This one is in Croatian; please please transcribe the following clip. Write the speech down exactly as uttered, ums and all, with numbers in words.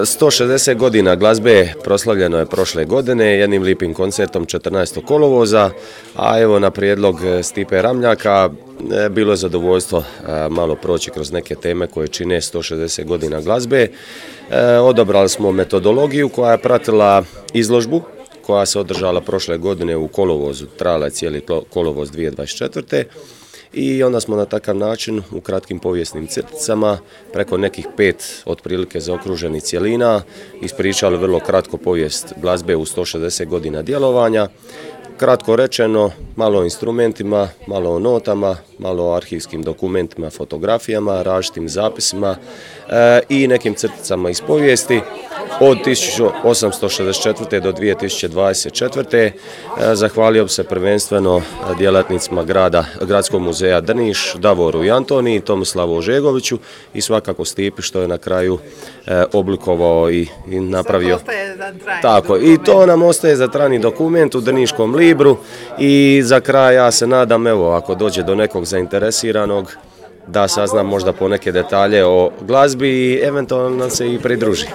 sto šezdeset godina glazbe proslavljeno je prošle godine jednim lipim koncertom četrnaestog kolovoza, a evo na prijedlog Stipe Ramljaka bilo je zadovoljstvo malo proći kroz neke teme koje čine sto šezdeset godina glazbe. Odabrali smo metodologiju koja je pratila izložbu koja se održala prošle godine u kolovozu, trajala je cijeli kolovoz dvije tisuće dvadeset četvrte. I onda smo na takav način u kratkim povijesnim crticama preko nekih pet otprilike zaokruženih cjelina ispričali vrlo kratko povijest glazbe u sto šezdeset godina djelovanja. Kratko rečeno, malo o instrumentima, malo o notama, malo o arhivskim dokumentima, fotografijama, različitim zapisima e, i nekim crticama iz povijesti. Od tisuću osamsto šezdeset četvrte. do dvije tisuće dvadeset četvrte. E, zahvalio bi se prvenstveno djelatnicima grada, Gradskog muzeja Drniš, Davoru i Antoniji, Tomislavu Ožegoviću i svakako Stipi što je na kraju e, oblikovao i, i napravio. Tako, i to nam ostaje za trajni dokument u Drniškom libru. I za kraj ja se nadam, evo, ako dođe do nekog zainteresiranog, da saznam možda po neke detalje o glazbi i eventualno nam se i pridruži.